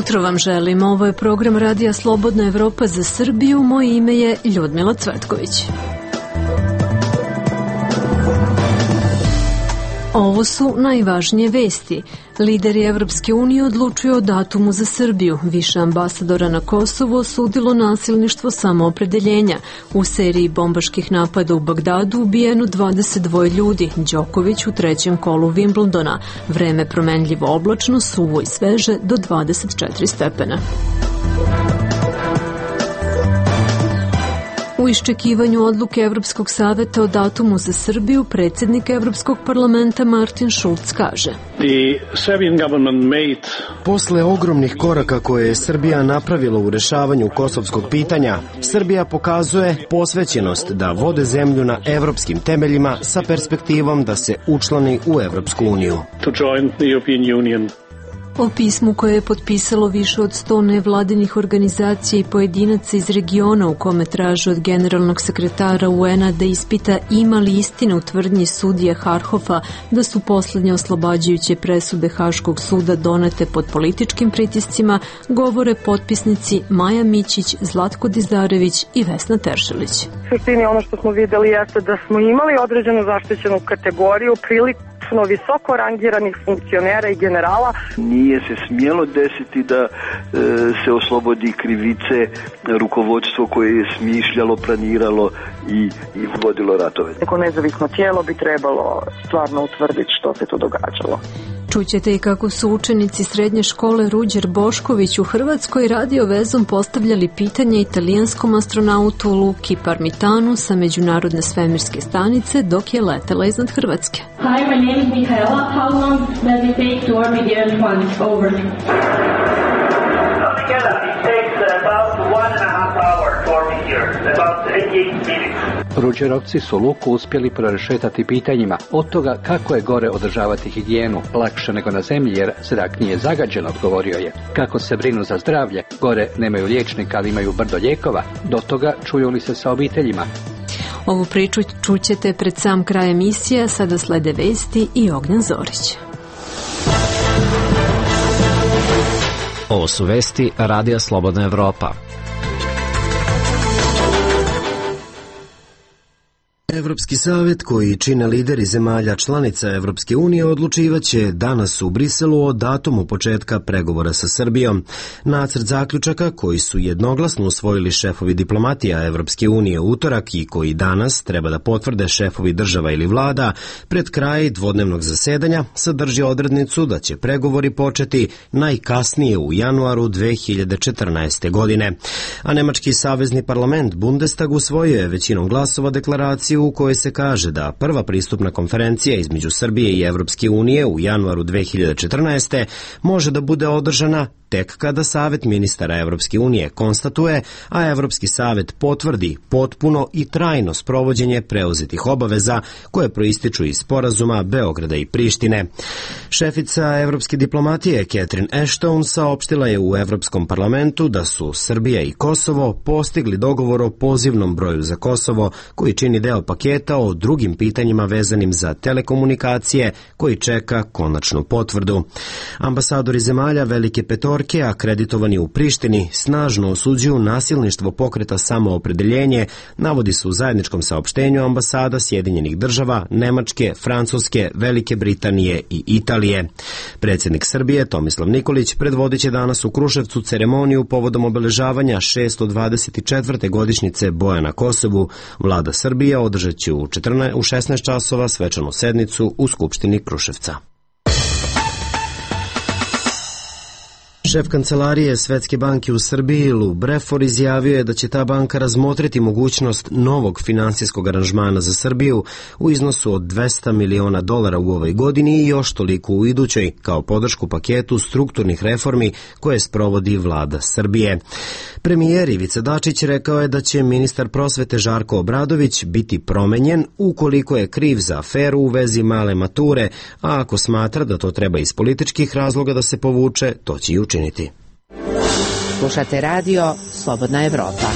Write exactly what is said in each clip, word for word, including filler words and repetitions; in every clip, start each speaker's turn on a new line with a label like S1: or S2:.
S1: jutro vam želim. Ovo je program Radija Slobodna Evropa za Srbiju. Moje ime je Ljudmila Cvetković. Ovo su najvažnije vesti. Lideri Evropske unije odlučuju o datumu za Srbiju. Više ambasadora na Kosovu osudilo nasilništvo samoopredeljenja. U seriji bombaških napada u Bagdadu ubijeno dvadeset dva ljudi. Đoković u trećem kolu Wimbledona. Vreme promenljivo oblačno, suvo i sveže do dvadeset četiri stepena. U iščekivanju odluke Evropskog saveta o datumu za Srbiju, predsjednik Evropskog parlamenta Martin Schulz kaže:
S2: Posle ogromnih koraka koje je Srbija napravila u rešavanju kosovskog pitanja, Srbija pokazuje posvećenost da vode zemlju na evropskim temeljima sa perspektivom da se učlani u Evropsku uniju.
S1: O pismu koje je potpisalo više od sto nevladinih organizacija i pojedinaca iz regiona u kome traže od generalnog sekretara U N-a da ispita ima li istine u tvrdnji sudije Harhofa da su poslednje oslobađajuće presude Haškog suda donete pod političkim pritiscima, govore potpisnici Maja Mićić, Zlatko Dizdarević i Vesna Teršelić.
S3: U suštini ono što smo videli jeste da smo imali određenu zaštićenu kategoriju priliku visoko rangiranih funkcionera i generala.
S4: Nije se smjelo desiti da e, se oslobodi krivice rukovodstvo koje je smišljalo, planiralo i, i vodilo ratove.
S3: Neko nezavisno tijelo bi trebalo stvarno utvrditi što se tu događalo.
S1: Čućete i kako su učenici srednje škole Ruđer Bošković u Hrvatskoj radio vezom postavljali pitanje italijanskom astronautu Luki Parmitanu sa Međunarodne svemirske stanice dok je letela iznad Hrvatske.
S5: Hi, my name is Michaela. How long does it take to orbit the Earth once? Over.
S6: Michaela, it takes about one and a half hours to orbit the Earth, about eighty-eight minutes.
S7: Ruđerovci su Luku uspjeli prerešetati pitanjima od toga kako je gore održavati higijenu, lakše nego na zemlji jer zrak nije zagađen, odgovorio je. Kako se brinu za zdravlje, gore nemaju liječnika ali imaju brdo lijekova, do toga čuju li se sa obiteljima.
S1: Ovu priču čućete pred sam kraj emisije, sada slede vesti i Ognjan Zorić.
S8: Ovo su vesti Radija Slobodna Evropa.
S2: Evropski savet, koji čine lideri zemalja članica Evropske unije, odlučivaće danas u Briselu o datumu početka pregovora sa Srbijom. Nacrt zaključaka, koji su jednoglasno usvojili šefovi diplomatija Evropske unije u utorak i koji danas treba da potvrde šefovi država ili vlada pred kraj dvodnevnog zasedanja, sadrži odrednicu da će pregovori početi najkasnije u januaru dve hiljade četrnaeste. godine. A nemački savezni parlament Bundestag usvojio je većinom glasova deklaraciju u kojoj se kaže da prva pristupna konferencija između Srbije i Evropske unije u januaru dve hiljade četrnaeste. može da bude održana tek kada Savet ministara Evropske unije konstatuje, a Evropski savet potvrdi potpuno i trajno sprovođenje preuzetih obaveza koje proističu iz sporazuma Beograda i Prištine. Šefica evropske diplomatije Catherine Ashton saopštila je u Evropskom parlamentu da su Srbija i Kosovo postigli dogovor o pozivnom broju za Kosovo koji čini deo paketa o drugim pitanjima vezanim za telekomunikacije koji čeka konačnu potvrdu. Ambasadori zemalja Velike Petorke akreditovani u Prištini snažno osuđuju nasilništvo pokreta Samoopredeljenje, navodi se u zajedničkom saopštenju ambasada Sjedinjenih država, Nemačke, Francuske, Velike Britanije i Italije. Predsjednik Srbije Tomislav Nikolić predvodit će danas u Kruševcu ceremoniju povodom obeležavanja šesto dvadeset četvrte godišnjice boja na Kosovu. Vlada Srbije održat će u šesnaest časova svečanu sednicu u Skupštini Kruševca. Šef kancelarije Svetske banke u Srbiji, Lou Breford, izjavio je da će ta banka razmotriti mogućnost novog finansijskog aranžmana za Srbiju u iznosu od dvesta miliona dolara u ovoj godini i još toliko u idućoj, kao podršku paketu strukturnih reformi koje sprovodi vlada Srbije. Premijer Ivica Dačić rekao je da će ministar prosvete Žarko Obradović biti promenjen ukoliko je kriv za aferu u vezi male mature, a ako smatra da to treba iz političkih razloga da se povuče, to će i učiniti.
S9: Slušate radio Slobodna Evropa.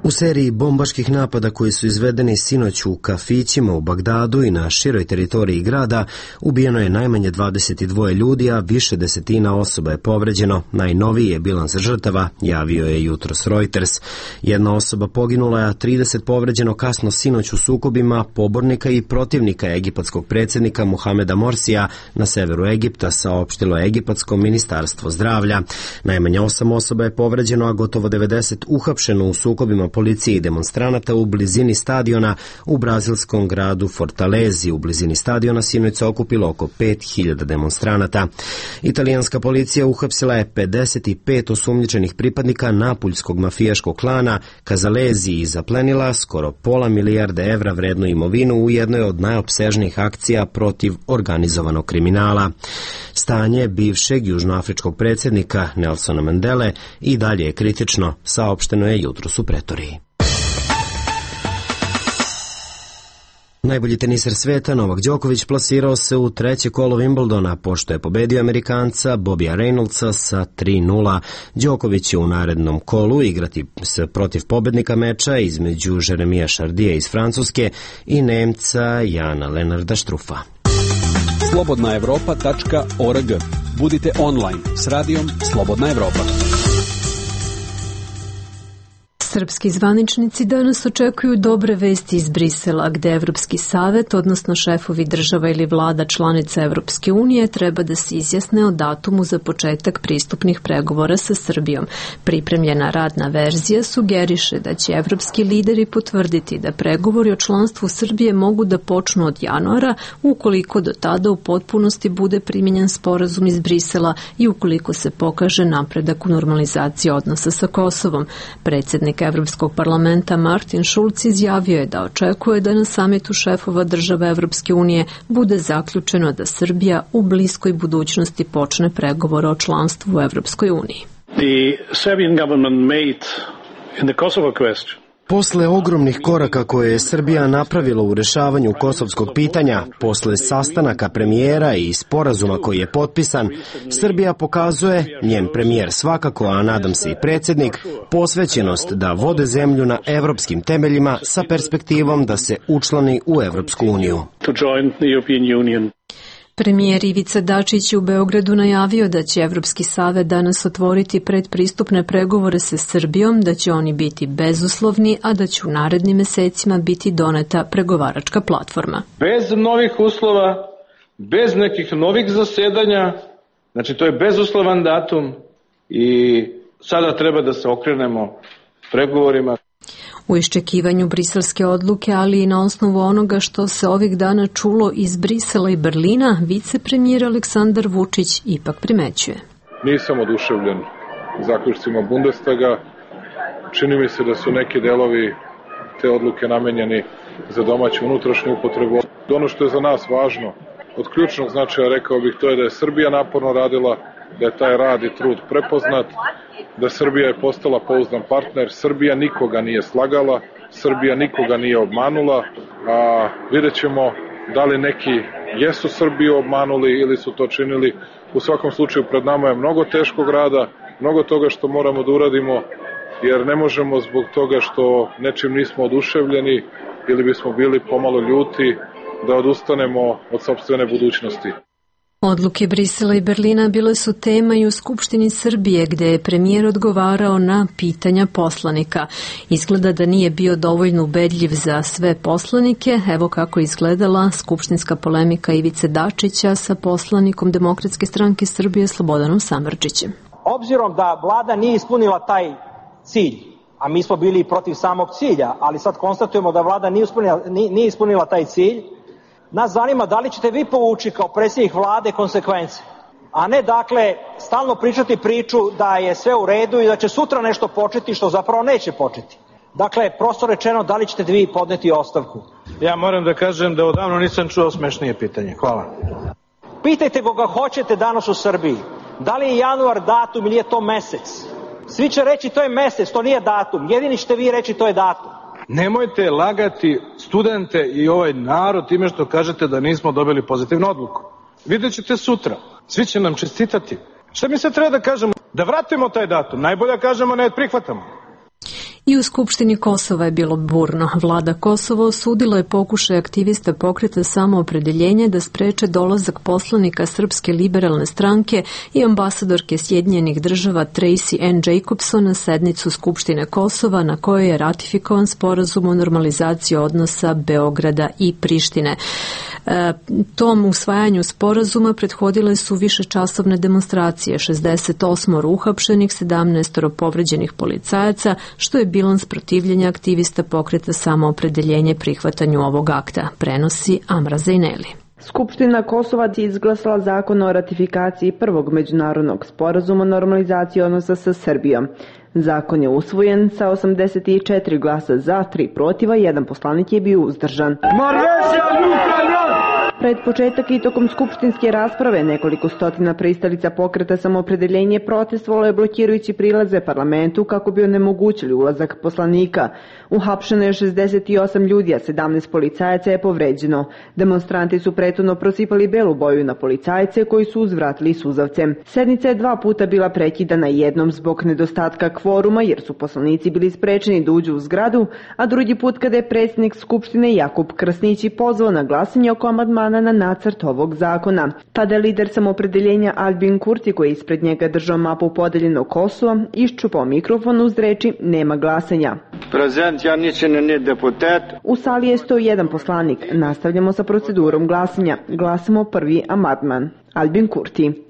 S2: U seriji bombaških napada koji su izvedeni sinoć u kafićima u Bagdadu i na široj teritoriji grada ubijeno je najmanje dvadeset dva ljudi, a više desetina osoba je povređeno. Najnoviji je bilans žrtava, javio je jutros Reuters. Jedna osoba poginula, a trideset povređeno kasno sinoć u sukobima pobornika i protivnika egipatskog predsjednika Muhameda Morsija na severu Egipta, saopštilo je egipatsko ministarstvo zdravlja. Najmanje osam osoba je povređeno, a gotovo devedeset uhapšeno u sukobima policije i demonstranata u blizini stadiona u brazilskom gradu Fortalezi. U blizini stadiona sinoć se okupilo oko pet hiljada demonstranata. Italijanska policija uhapsila je pedeset pet osumnjičenih pripadnika napuljskog mafijaškog klana Kazalezi i zaplenila skoro pola milijarde evra vrednu imovinu u jednoj od najopsežnijih akcija protiv organizovanog kriminala. Stanje bivšeg južnoafričkog predsjednika Nelsona Mandele i dalje je kritično, saopšteno je jutros u Pretoriji. Najbolji teniser sveta Novak Đoković plasirao se u treće kolo Wimbledona pošto je pobedio Amerikanca Bobija Reynoldsa sa tri nula. Đoković će u narednom kolu igrati s protiv pobednika meča između Jeremija Šardija iz Francuske i Nemca Jana Lenarda Štrufa.
S9: slobodna evropa tačka org. Budite online s radijom Slobodna Evropa.
S1: Srpski zvaničnici danas očekuju dobre vesti iz Brisela, gde Evropski savet, odnosno šefovi država ili vlada članica Evropske unije, treba da se izjasne o datumu za početak pristupnih pregovora sa Srbijom. Pripremljena radna verzija sugeriše da će evropski lideri potvrditi da pregovori o članstvu Srbije mogu da počnu od januara, ukoliko do tada u potpunosti bude primjenjen sporazum iz Brisela i ukoliko se pokaže napredak u normalizaciji odnosa sa Kosovom. Predsjednik Evropskog parlamenta Martin Schulz izjavio je da očekuje da na samitu šefova država Evropske unije bude zaključeno da Srbija u bliskoj budućnosti počne pregovore o članstvu u Evropskoj uniji.
S10: The Serbian government made in the Kosovo question.
S2: Posle ogromnih koraka koje je Srbija napravila u rešavanju kosovskog pitanja, posle sastanaka premijera i sporazuma koji je potpisan, Srbija pokazuje, njen premijer svakako, a nadam se i predsjednik, posvećenost da vode zemlju na evropskim temeljima sa perspektivom da se učlani u Evropsku uniju.
S1: Premijer Ivica Dačić u Beogradu najavio da će Evropski savet danas otvoriti predpristupne pregovore sa Srbijom, da će oni biti bezuslovni, a da će u narednim mesecima biti doneta pregovaračka platforma.
S11: Bez novih uslova, bez nekih novih zasedanja, znači to je bezuslovan datum i sada treba da se okrenemo pregovorima.
S1: U iščekivanju briselske odluke, ali i na osnovu onoga što se ovih dana čulo iz Brisela i Berlina, vicepremijer Aleksandar Vučić ipak primećuje.
S12: Nisam oduševljen zaključcima Bundestaga. Čini mi se da su neki delovi te odluke namenjeni za domaću unutrašnju upotrebu. Ono što je za nas važno, od ključnog značaja rekao bih, to je da je Srbija naporno radila, da je taj rad i trud prepoznat, da Srbija je postala pouzdan partner. Srbija nikoga nije slagala, Srbija nikoga nije obmanula, a vidjet ćemo da li neki jesu Srbiju obmanuli ili su to činili. U svakom slučaju pred nama je mnogo teškog rada, mnogo toga što moramo da uradimo, jer ne možemo zbog toga što nečim nismo oduševljeni ili bismo bili pomalo ljuti da odustanemo od sopstvene budućnosti.
S1: Odluke Brisela i Berlina bile su tema i u Skupštini Srbije, gde je premijer odgovarao na pitanja poslanika. Izgleda da nije bio dovoljno ubedljiv za sve poslanike. Evo kako izgledala skupštinska polemika Ivice Dačića sa poslanikom Demokratske stranke Srbije Slobodanom Samardžićem.
S13: Obzirom da vlada nije ispunila taj cilj, a mi smo bili protiv samog cilja, ali sad konstatujemo da vlada nije ispunila, nije ispunila taj cilj, nas zanima da li ćete vi povući kao predsjednik vlade konsekvence, a ne dakle stalno pričati priču da je sve u redu i da će sutra nešto početi što zapravo neće početi. Dakle, prosto rečeno, da li ćete vi podneti ostavku?
S11: Ja moram da kažem da odavno nisam čuo smešnije pitanje. Hvala.
S13: Pitajte koga hoćete danas u Srbiji. Da li je januar datum ili je to mesec? Svi će reći to je mesec, to nije datum. Jedini ćete vi reći to je datum.
S11: Nemojte lagati studente i ovaj narod time što kažete da nismo dobili pozitivnu odluku. Vidjet ćete sutra. Svi će nam čestitati. Šta mi se treba da kažemo? Da vratimo taj datum. Najbolje kažemo ne prihvatamo.
S1: I u Skupštini Kosova je bilo burno. Vlada Kosova osudila je pokušaj aktivista pokreta Samoopredeljenje da spreče dolazak poslanika Srpske liberalne stranke i ambasadorke Sjedinjenih država Tracy Ann Jacobson na sednicu Skupštine Kosova na kojoj je ratifikovan sporazum o normalizaciji odnosa Beograda i Prištine. E, tom usvajanju sporazuma prethodile su višečasovne demonstracije, šezdeset osam uhapšenih, sedamnaest povređenih policajaca, što je bilans protivljenja aktivista pokreta Samoopredeljenje prihvatanju ovog akta, prenosi Amra Zejneli.
S14: Skupština Kosova je izglasala zakon o ratifikaciji prvog međunarodnog sporazuma o normalizaciji odnosa sa Srbijom. Zakon je usvojen sa osamdeset četiri glasa za, tri protiva, jedan poslanik je bio uzdržan. Pred početak i tokom skupštinske rasprave nekoliko stotina pristalica pokreta Samoopredeljenje protestovalo je blokirajući prilaze parlamentu kako bi onemogućili ulazak poslanika. Uhapšeno je šezdeset osam ljudi, a sedamnaest policajaca je povređeno. Demonstranti su prethodno prosipali belu boju na policajce koji su uzvratili suzavcem. Sednica je dva puta bila prekidana, jednom zbog nedostatka kvoruma jer su poslanici bili sprečeni da uđu u zgradu, a drugi put kada je predsjednik Skupštine Jakub Krasnići pozvao na glasanje oko amandmana na nacrt ovog zakona. Tada je lider Samoopredeljenja Albin Kurti, koji je ispred njega držao mapu podeljenog Kosova, iščupao mikrofon uz reči nema glasanja. U sali je sto jedan poslanik. Nastavljamo sa procedurom glasanja. Glasamo prvi amandman. Albin Kurti.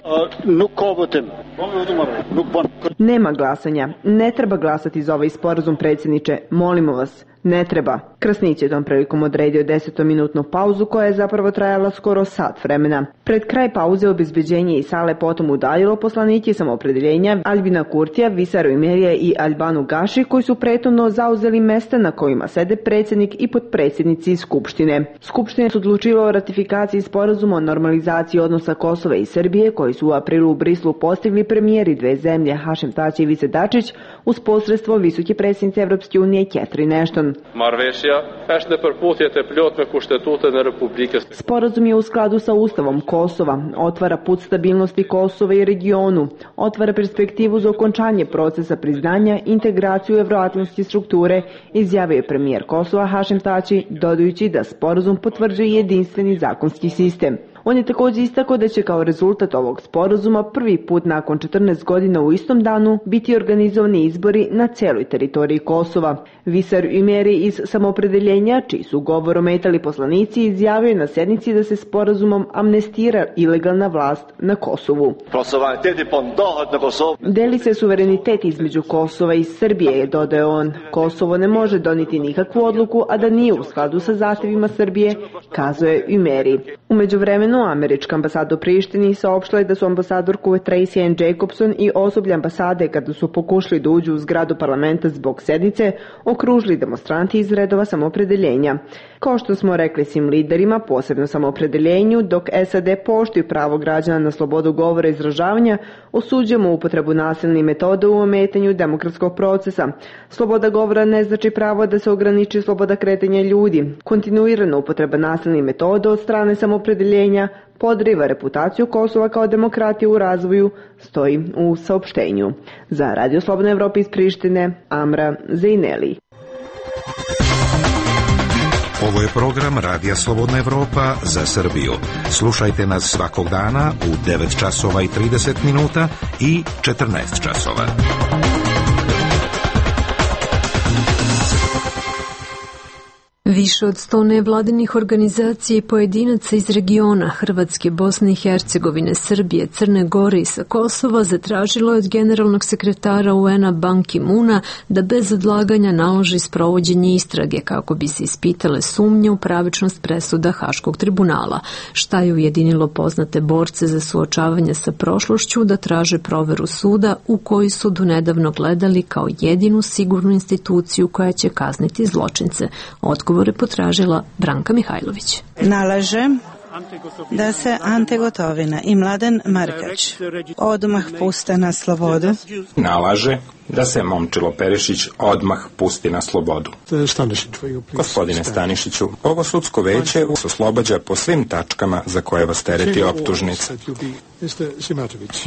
S14: Nema glasanja. Ne treba glasati za ovaj sporazum, predsjedniče. Molimo vas. Ne treba. Krasnić je tom prilikom odredio desetominutnu pauzu koja je zapravo trajala skoro sat vremena. Pred kraj pauze obezbeđenje iz sale potom udaljilo poslanike Samoopredeljenja Albina Kurtija, Visaru Imerija i Albanu Gaši, koji su prethodno zauzeli mesta na kojima sede predsjednik i potpredsjednici Skupštine. Skupština su odlučila o ratifikaciji sporazuma o normalizaciji odnosa Kosova i Srbije, koji su u aprilu u Brislu postigli premijeri dve zemlje Hašim Tači i Ivica Dačić uz posredstvo visoke predsjednice Evropske unije Catherine Ashton. Sporazum je u skladu sa Ustavom Kosova, otvara put stabilnosti Kosova i regionu, otvara perspektivu za okončanje procesa priznanja, integraciju evroatlantske strukture, izjavio je premijer Kosova Hašim Tači, dodajući da sporazum potvrđuje jedinstveni zakonski sistem. On je također istakao da će kao rezultat ovog sporazuma prvi put nakon četrnaest godina u istom danu biti organizovani izbori na celoj teritoriji Kosova. Visar Imeri iz Samoopredeljenja, čiji su govor ometali poslanici, izjavio je na sednici da se sporazumom amnestira ilegalna vlast na Kosovu. Deli se suverenitet između Kosova i Srbije, je dodao on. Kosovo ne može doniti nikakvu odluku, a da nije u skladu sa zahtevima Srbije, kazao je Imeri. U međuvremenu američka ambasada u Prištini saopštila je da su ambasadorku Tracy Ann Jacobson i osoblje ambasade, kada su pokušali da uđu u zgradu parlamenta zbog sednice, okružili demonstranti iz redova Samoopredeljenja. Kao što smo rekli svim liderima, posebno Samoopredeljenju, dok S A D poštuju pravo građana na slobodu govora i izražavanja, osuđujemo upotrebu nasilnih metoda u ometanju demokratskog procesa. Sloboda govora ne znači pravo da se ograniči sloboda kretanja ljudi. Kontinuirana upotreba nasilnih metoda od strane Samoopredeljenja podriva reputaciju Kosova kao demokratije u razvoju, stoji u saopštenju. Za Radio Slobodna Evropa iz Prištine, Amra Zejneli.
S15: Ovo je program Radija Slobodna Evropa za Srbiju. Slušajte nas svakog dana u devet časova i trideset minuta i četrnaest časova.
S1: Više od sto nevladinih organizacija i pojedinaca iz regiona Hrvatske, Bosne i Hercegovine, Srbije, Crne Gore i sa Kosova zatražilo je od generalnog sekretara U N-a Ban Ki-moona da bez odlaganja naloži sprovođenje istrage kako bi se ispitale sumnje u pravičnost presuda Haškog tribunala, šta je ujedinilo poznate borce za suočavanje sa prošlošću da traže proveru suda u koji su donedavno gledali kao jedinu sigurnu instituciju koja će kazniti zločince. Odgovor je potražila Branka Mihajlović.
S16: Nalaže da se Ante Gotovina i Mladen Markač odmah puste na slobodu.
S17: Nalaže da se Momčilo Perišić odmah pusti na slobodu. Gospodine Stanišiću, ovo sudsko veće vas oslobađa po svim tačkama za koje vas tereti optužnica.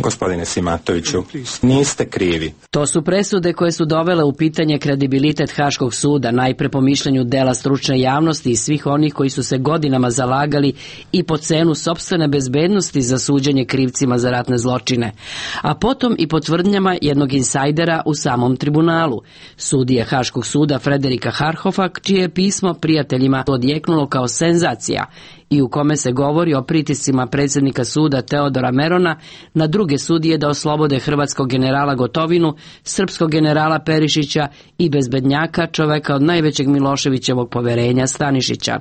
S17: Gospodine Simatoviću, niste krivi.
S18: To su presude koje su dovele u pitanje kredibilitet Haškog suda, najpre po mišljenju dela stručne javnosti i svih onih koji su se godinama zalagali i po cenu sopstvene bezbednosti za suđenje krivcima za ratne zločine, a potom i po tvrdnjama jednog insajdera u samom tribunalu, sudije Haškog suda Frederika Harhofa, čije je pismo prijateljima odjeknulo kao senzacija i u kome se govori o pritiscima predsjednika suda Teodora Merona na druge sudije da oslobode hrvatskog generala Gotovinu, srpskog generala Perišića i bezbednjaka, čoveka od najvećeg Miloševićevog poverenja Stanišića.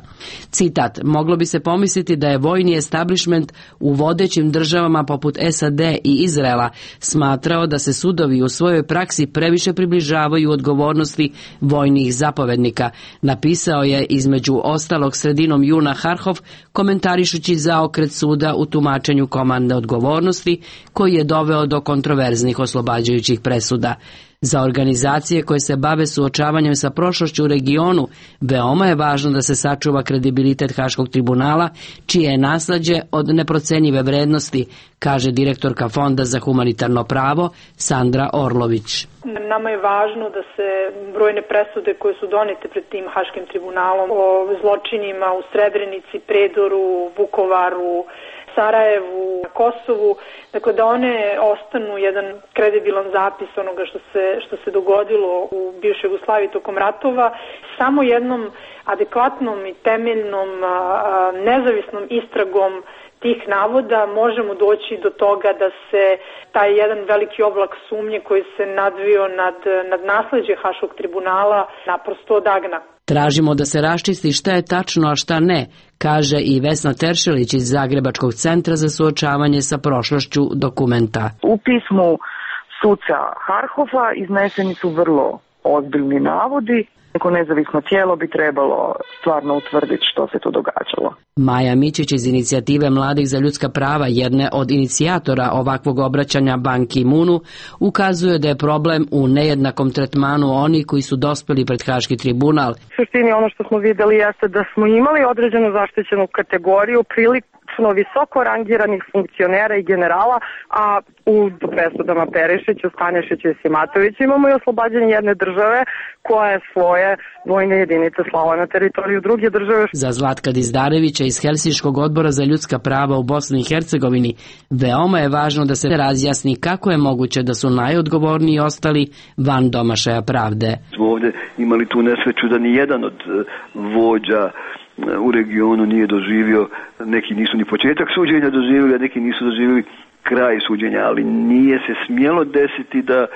S18: Citat: moglo bi se pomisliti da je vojni establishment u vodećim državama poput S A D i Izraela smatrao da se sudovi u svojoj praksi previše približavaju odgovornosti vojnih zapovednika, napisao je između ostalog sredinom juna Harhov, komentarišući zaokret suda u tumačenju komandne odgovornosti koji je doveo do kontroverznih oslobađajućih presuda. Za organizacije koje se bave suočavanjem sa prošlošću u regionu, veoma je važno da se sačuva kredibilitet Haškog tribunala, čije je nasleđe od neprocenjive vrednosti, kaže direktorka Fonda za humanitarno pravo Sandra Orlović.
S19: Nama je važno da se brojne presude koje su donete pred tim Haškim tribunalom o zločinima u Srebrenici, Predoru, Vukovaru, Sarajevu, Kosovu, dakle da one ostanu jedan kredibilan zapis onoga što se, što se dogodilo u bivšoj Jugoslaviji tokom ratova, samo jednom adekvatnom i temeljnom, nezavisnom istragom tih navoda možemo doći do toga da se taj jedan veliki oblak sumnje koji se nadvio nad, nad nasleđe Haškog tribunala naprosto odagna.
S18: Tražimo da se raščisti šta je tačno, a šta ne, kaže i Vesna Teršelić iz Zagrebačkog centra za suočavanje sa prošlošću dokumenta.
S3: U pismu suca Harhofa izneseni su vrlo ozbiljni navodi. Neko nezavisno tijelo bi trebalo stvarno utvrditi što se tu događalo.
S18: Maja Mičić iz inicijative Mladih za ljudska prava, jedne od inicijatora ovakvog obraćanja Ban Ki-moonu, ukazuje da je problem u nejednakom tretmanu onih koji su dospeli pred Haški tribunal.
S3: U suštini ono što smo videli jeste da smo imali određenu zaštićenu kategoriju prilično visoko rangiranih funkcionera i generala, a u presudama Perišiću, Stanišiću i Simatoviću imamo i oslobađanje jedne države koja je svoje vojne jedinice slala na teritoriju druge države.
S18: Za Zlatka Dizdarevića iz Helsinškog odbora za ljudska prava u Bosni i Hercegovini veoma je važno da se razjasni kako je moguće da su najodgovorniji ostali van domašaja pravde.
S4: Smo ovdje imali tu nesreću da ni jedan od vođa u regionu nije doživio, neki nisu ni početak suđenja doživjeli, a neki nisu doživjeli kraj suđenja, ali nije se smjelo desiti da e,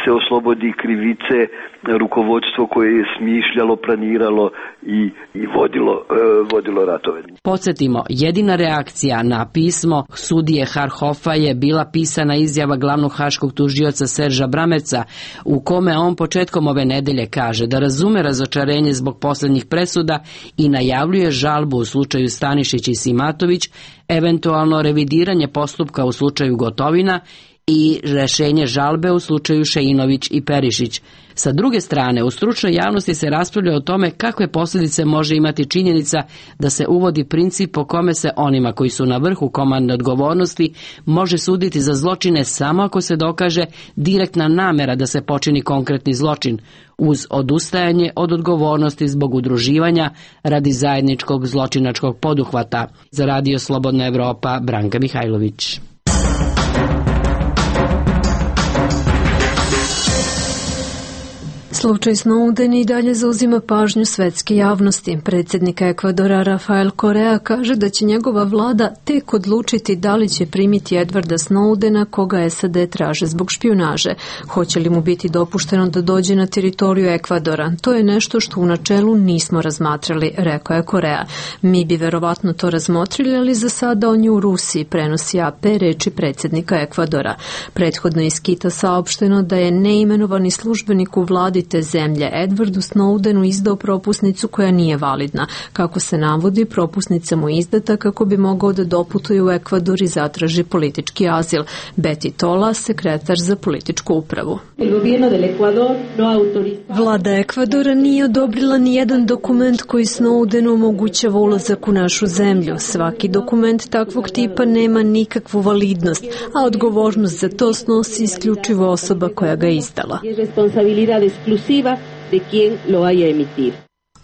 S4: se oslobodi krivice rukovodstvo koje je smišljalo, planiralo i, i vodilo, e, vodilo ratove.
S18: Podsjetimo, jedina reakcija na pismo sudije Harhofa je bila pisana izjava glavnog haškog tužioca Serža Bramerca, u kome on početkom ove nedelje kaže da razume razočarenje zbog posljednjih presuda i najavljuje žalbu u slučaju Stanišić i Simatović, eventualno revidiranje postupka u slučaju Gotovina i rešenje žalbe u slučaju Šeinović i Perišić. Sa druge strane, u stručnoj javnosti se raspravlja o tome kakve posljedice može imati činjenica da se uvodi princip po kome se onima koji su na vrhu komandne odgovornosti može suditi za zločine samo ako se dokaže direktna namera da se počini konkretni zločin, uz odustajanje od odgovornosti zbog udruživanja radi zajedničkog zločinačkog poduhvata. Za Radio Slobodna Evropa, Branka Mihajlović.
S1: Slučaj Snowden i dalje zauzima pažnju svetske javnosti. Predsjednik Ekvadora Rafael Correa kaže da će njegova vlada tek odlučiti da li će primiti Edwarda Snowdena, koga S A D traže zbog špijunaže. Hoće li mu biti dopušteno da dođe na teritoriju Ekvadora? To je nešto što u načelu nismo razmatrali, rekao je Correa. Mi bi verovatno to razmotrili, ali za sada on je u Rusiji, prenosi A P reči predsjednika Ekvadora. Prethodno je iz Kita saopšteno da je neimenovani službenik u vladi te zemlje Edwardu Snowdenu izdao propusnicu koja nije validna. Kako se navodi, propusnica mu je izdata kako bi mogao da doputuje u Ekvador i zatraži politički azil. Betty Tola, sekretar za političku upravu. Vlada Ekvadora nije odobrila ni jedan dokument koji Snowdenu omogućava ulazak u našu zemlju. Svaki dokument takvog tipa nema nikakvu validnost, a odgovornost za to snosi isključivo osoba koja ga izdala.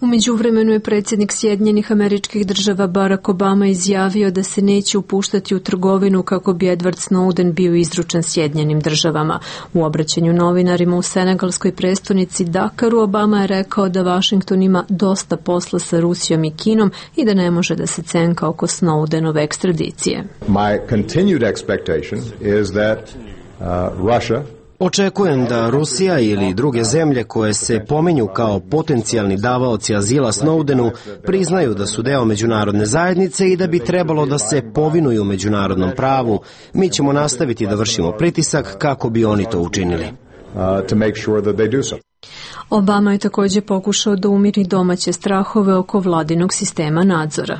S1: U međuvremenu je predsjednik Sjedinjenih Američkih Država Barack Obama izjavio da se neće upuštati u trgovinu kako bi Edward Snowden bio izručen Sjedinjenim Državama. U obraćanju novinarima u senegalskoj prestonici Dakaru Obama je rekao da Washington ima dosta posla sa Rusijom i Kinom i da ne može da se cenka oko Snowdenove ekstradicije.
S20: My continued expectation is that uh, Russia
S2: Očekujem da Rusija ili druge zemlje koje se pominju kao potencijalni davaoci azila Snowdenu priznaju da su deo međunarodne zajednice i da bi trebalo da se povinuju međunarodnom pravu. Mi ćemo nastaviti da vršimo pritisak kako bi oni to učinili. Obama je također pokušao da umiri domaće strahove oko vladinog sistema nadzora.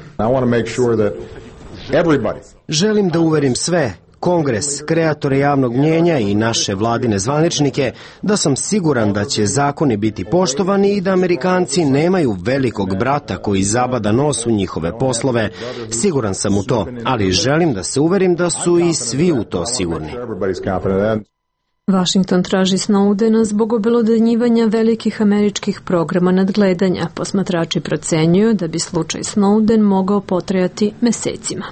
S2: Želim da uverim sve, Kongres, kreatore javnog mnjenja i naše vladine zvaničnike, da sam siguran da će zakoni biti poštovani i da Amerikanci nemaju velikog brata koji zabada nos u njihove poslove. Siguran sam u to, ali želim da se uverim da su i svi u to sigurni. Washington traži Snowdena zbog obelodanjivanja velikih američkih programa nadgledanja. Posmatrači procenjuju da bi slučaj Snowden mogao potrajati mesecima.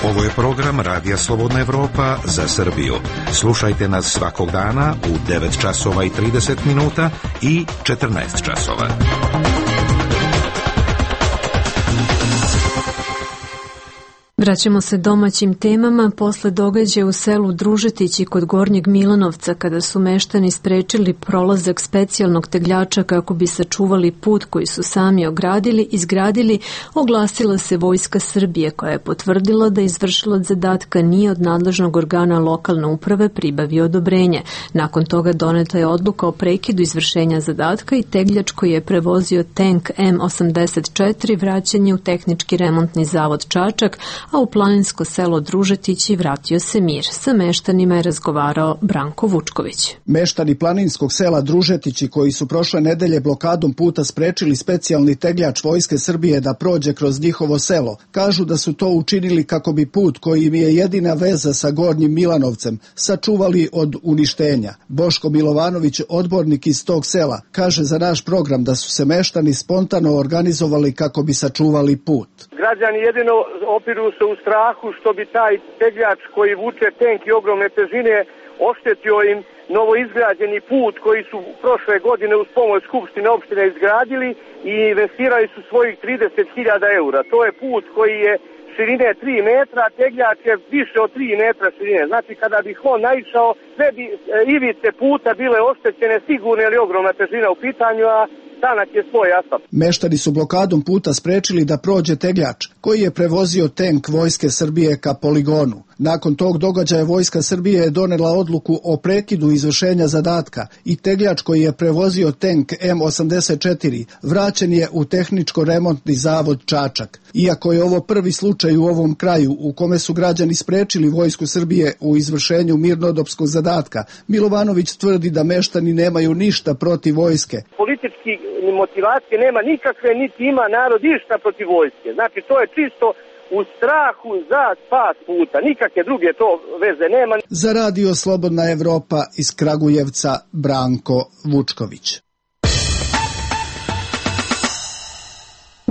S15: Ovo je program Radija Slobodna Evropa za Srbiju. Slušajte nas svakog dana u devet časova i trideset minuta i četrnaest časova.
S1: Vraćamo se domaćim temama. Posle događaja u selu Družetići kod Gornjeg Milanovca, kada su meštani sprečili prolazak specijalnog tegljača kako bi sačuvali put koji su sami ogradili, izgradili, oglasila se Vojska Srbije koja je potvrdila da izvršilac zadatka nije od nadležnog organa lokalne uprave pribavio odobrenje. Nakon toga doneta je odluka o prekidu izvršenja zadatka i tegljač koji je prevozio tank M osamdeset četiri vraćen je u tehnički remontni zavod Čačak, a u planinsko selo Družetići vratio se mir. Sa meštanima je razgovarao Branko Vučković.
S21: Meštani planinskog sela Družetići koji su prošle nedelje blokadom puta sprečili specijalni tegljač Vojske Srbije da prođe kroz njihovo selo, kažu da su to učinili kako bi put koji im je jedina veza sa Gornjim Milanovcem sačuvali od uništenja. Boško Milovanović, odbornik iz tog sela, kaže za naš program da su se meštani spontano organizovali kako bi sačuvali put.
S22: Građani jedino opiru se u strahu što bi taj tegljač koji vuče tenk i ogromne težine oštetio im novoizgrađeni put koji su prošle godine uz pomoć Skupštine opštine izgradili i investirali su svojih trideset hiljada eura. To je put koji je širine tri metra, a tegljač je više od tri metra širine. Znači kada bi on naišao, sve bi ivice puta bile oštećene sigurno ili ogromna težina u pitanju, a tanak je svoj asfalt.
S21: Meštani su blokadom puta sprečili da prođe tegljač koji je prevozio tank Vojske Srbije ka poligonu. Nakon tog događaja Vojska Srbije je donela odluku o prekidu izvršenja zadatka i tegljač koji je prevozio tank M osamdeset četiri vraćen je u tehničko-remontni zavod Čačak. Iako je ovo prvi slučaj u ovom kraju u kome su građani sprečili Vojsku Srbije u izvršenju mirnodopskog zadatka, Milovanović tvrdi da meštani nemaju ništa protiv vojske.
S22: Politički motivacije nema nikakve, niti ima narod išta protiv vojske. Znači to je čisto u strahu za spas puta. Nikakve druge to veze nema.
S21: Za Radio Slobodna Evropa iz Kragujevca Branko Vučković.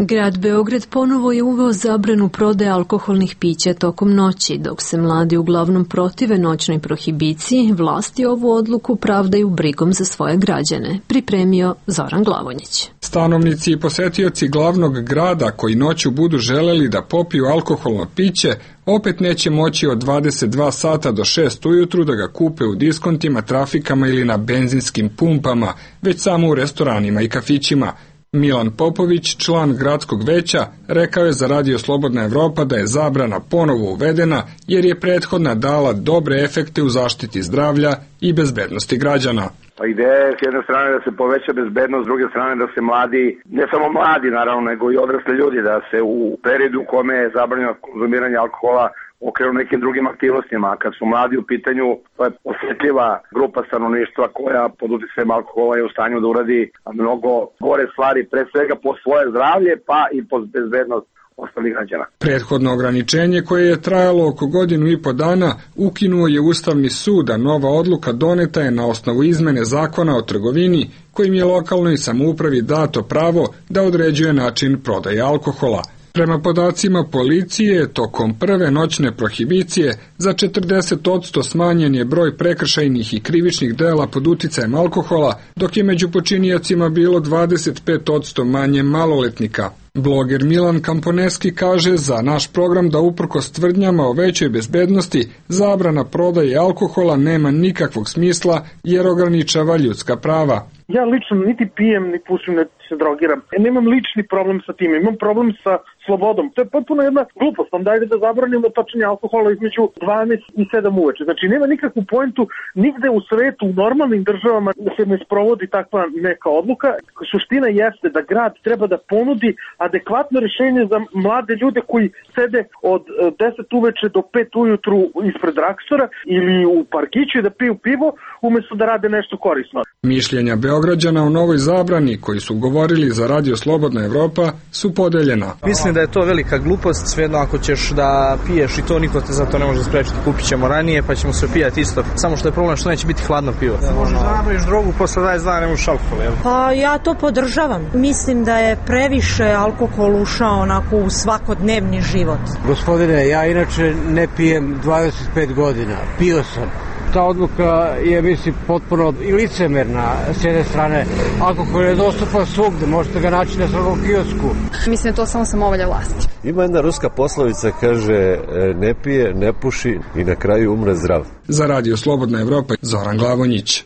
S1: Grad Beograd ponovo je uveo zabranu prodaje alkoholnih pića tokom noći. Dok se mladi uglavnom protive noćnoj prohibiciji, vlasti ovu odluku pravdaju brigom za svoje građane. Pripremio Zoran Glavonjić.
S23: Stanovnici i posetioci glavnog grada koji noću budu želeli da popiju alkoholno piće, opet neće moći od dvadeset dva sata do šest ujutru da ga kupe u diskontima, trafikama ili na benzinskim pumpama, već samo u restoranima i kafićima. Milan Popović, član gradskog veća, rekao je za Radio Slobodna Evropa da je zabrana ponovo uvedena jer je prethodna dala dobre efekte u zaštiti zdravlja i bezbednosti građana.
S5: Pa ideja je s jedne strane da se poveća bezbednost, s druge strane da se mladi, ne samo mladi naravno, nego i odrasli ljudi, da se u periodu u kome je zabranjeno konzumiranje alkohola okrenu nekim drugim aktivnostima. A kad su mladi u pitanju, to je osjetljiva grupa stanovništva koja pod uticajem alkohola je u stanju da uradi mnogo gore stvari, pre svega po svoje zdravlje, pa i po bezbednost ostalih građana.
S23: Prethodno ograničenje koje je trajalo oko godinu i po dana ukinuo je Ustavni sud, a nova odluka doneta je na osnovu izmene zakona o trgovini kojim je lokalnoj samoupravi dato pravo da određuje način prodaje alkohola. Prema podacima policije, tokom prve noćne prohibicije za četrdeset posto smanjen je broj prekršajnih i krivičnih dela pod uticajem alkohola, dok je među počiniocima bilo dvadeset pet posto manje maloletnika. Bloger Milan Kamponeski kaže za naš program da uprkos tvrdnjama o većoj bezbednosti, zabrana prodaje alkohola nema nikakvog smisla jer ograničava ljudska prava.
S6: Ja lično niti pijem, ni pušim, niti se drogiram. E, nemam lični problem sa tim, imam problem sa slobodom. To je potpuno jedna glupost. Onda dajde da zabranimo točenje alkohola između dvanaest i sedam uveče. Znači nema nikakvu poentu nigde u svetu, u normalnim državama da se ne sprovodi takva neka odluka. Suština jeste da grad treba da ponudi adekvatno rešenje za mlade ljude koji sede od deset uveče do pet ujutru ispred Drakstora ili u parkiću i da piju pivo umesto da rade nešto korisno.
S23: Mišljenja Beograđana o novoj zabrani koji su govorili za Radio Slobodna Evropa su podeljena.
S7: Mislim da je to velika glupost, svejedno ako ćeš da piješ i to niko te za to ne može sprečiti, kupit ćemo ranije pa ćemo se pijati isto, samo što je problem što neće biti hladno pivo. Možeš da napraviš drogu posle dvadeset dana, ne možeš alkohol, jel?
S24: Pa ja to podržavam. Mislim da je previše alkohol ušao onako u svakodnevni život.
S25: Gospodine, ja inače ne pijem dvadeset pet godina, pio sam. Ta odluka je, mislim, potpuno i licemerna s jedne strane. Alkohol je dostupan svugde, možete ga naći na svakom kiosku.
S26: Mislim, to samo samovolja vlasti.
S27: Ima jedna ruska poslovica, kaže, ne pije, ne puši i na kraju umre zdrav.
S23: Za Radio Slobodna Evropa, Zoran Glavonjić.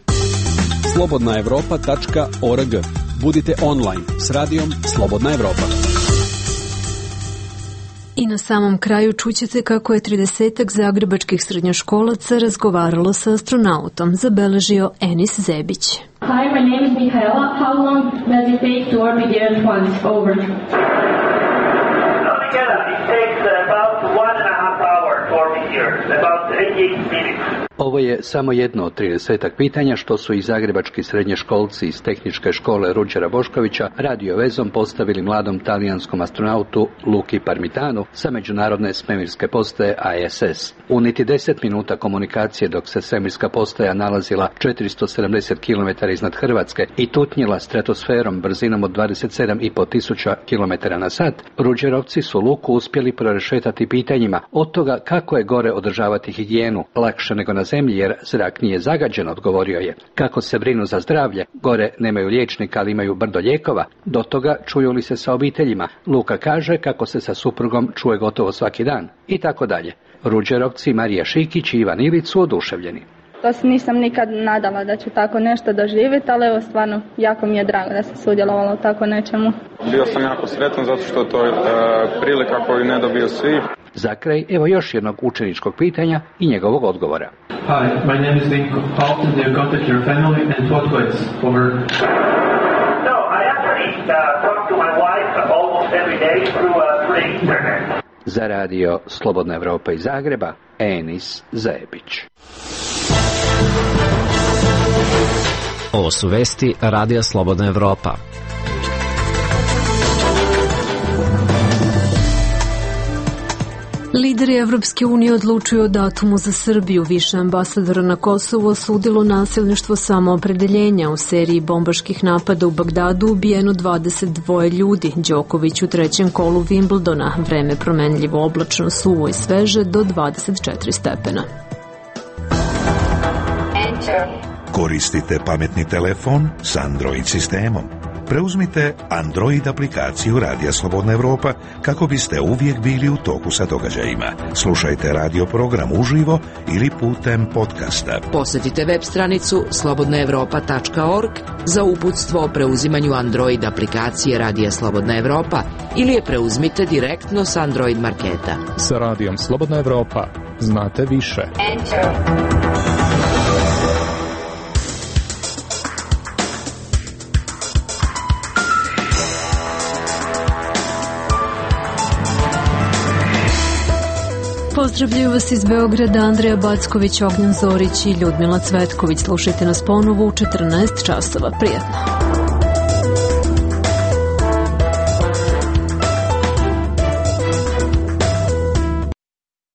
S9: slobodna evropa tačka org. Budite online s radijom Slobodna Evropa.
S1: I na samom kraju čućete kako je tridesetak zagrebačkih srednjoškolaca razgovaralo sa astronautom, zabeležio Enis Zebić.
S28: Hi, my name is Mihaela. How long does it take to orbit the Earth once? Over.
S29: It takes about one and a half hour to orbit the Earth, about eighty-eight minutes.
S30: Ovo je samo jedno od tridesetak pitanja što su i zagrebački srednjoškolci iz tehničke škole Ruđera Boškovića radio vezom postavili mladom talijanskom astronautu Luki Parmitanu sa međunarodne svemirske postaje I S S. U niti deset minuta komunikacije dok se svemirska postaja nalazila četiristo sedamdeset kilometara iznad Hrvatske i tutnjila stratosferom brzinom od dvadeset sedam i po tisuća kilometara na sat, Ruđerovci su Luku uspjeli prorešetati pitanjima od toga kako je gore održavati higijenu, lakše nego na zemlji jer zrak nije zagađen, odgovorio je. Kako se brinu za zdravlje, gore nemaju liječnika, ali imaju brdo lijekova, do toga čuju li se sa obiteljima. Luka kaže kako se sa suprugom čuje gotovo svaki dan i tako dalje. Ruđerovci Marija Šikić i Ivan Ilić su oduševljeni.
S28: To se nisam nikad nadala da ću tako nešto doživjeti, ali evo stvarno jako mi je drago da se sudjelovalo u tako nečemu.
S31: Bio sam jako sretan zato što to je e, prilika koju ne dobiju svi.
S30: Za kraj, evo još jednog učeničkog pitanja i njegovog odgovora.
S32: Hi, my name is Vinko. How often do you contact your family and what ways? Over.
S29: No, I actually uh, talk to my wife almost every day through, uh, through the internet.
S30: Za radio Slobodna Evropa iz Zagreba, Enis Zebić.
S8: Ovo su vesti Radija Slobodna Evropa.
S1: Lideri Evropske unije odlučuju o datumu za Srbiju. Više ambasadora na Kosovu osudilo nasilništvo samoopredeljenja. U seriji bombaških napada u Bagdadu ubijeno dvadeset dva ljudi. Đoković u trećem kolu Wimbledona. Vreme promenljivo, oblačno, suvo i sveže do dvadeset četiri stepena.
S15: Koristite pametni telefon s Android sistemom. Preuzmite Android aplikaciju Radija Slobodna Evropa kako biste uvijek bili u toku sa događajima. Slušajte radio program uživo ili putem podcasta.
S3: Posjetite web stranicu slobodna evropa tačka org za uputstvo o preuzimanju Android aplikacije Radija Slobodna Evropa ili je preuzmite direktno s Android marketa.
S4: Sa Radijom Slobodna Evropa znate više.
S1: Pozdravljaju vas iz Beograda Andreja Backović, Ognjan Zorić i Ljudmila Cvetković. Slušajte nas ponovo u četrnaest časova. Prijetno.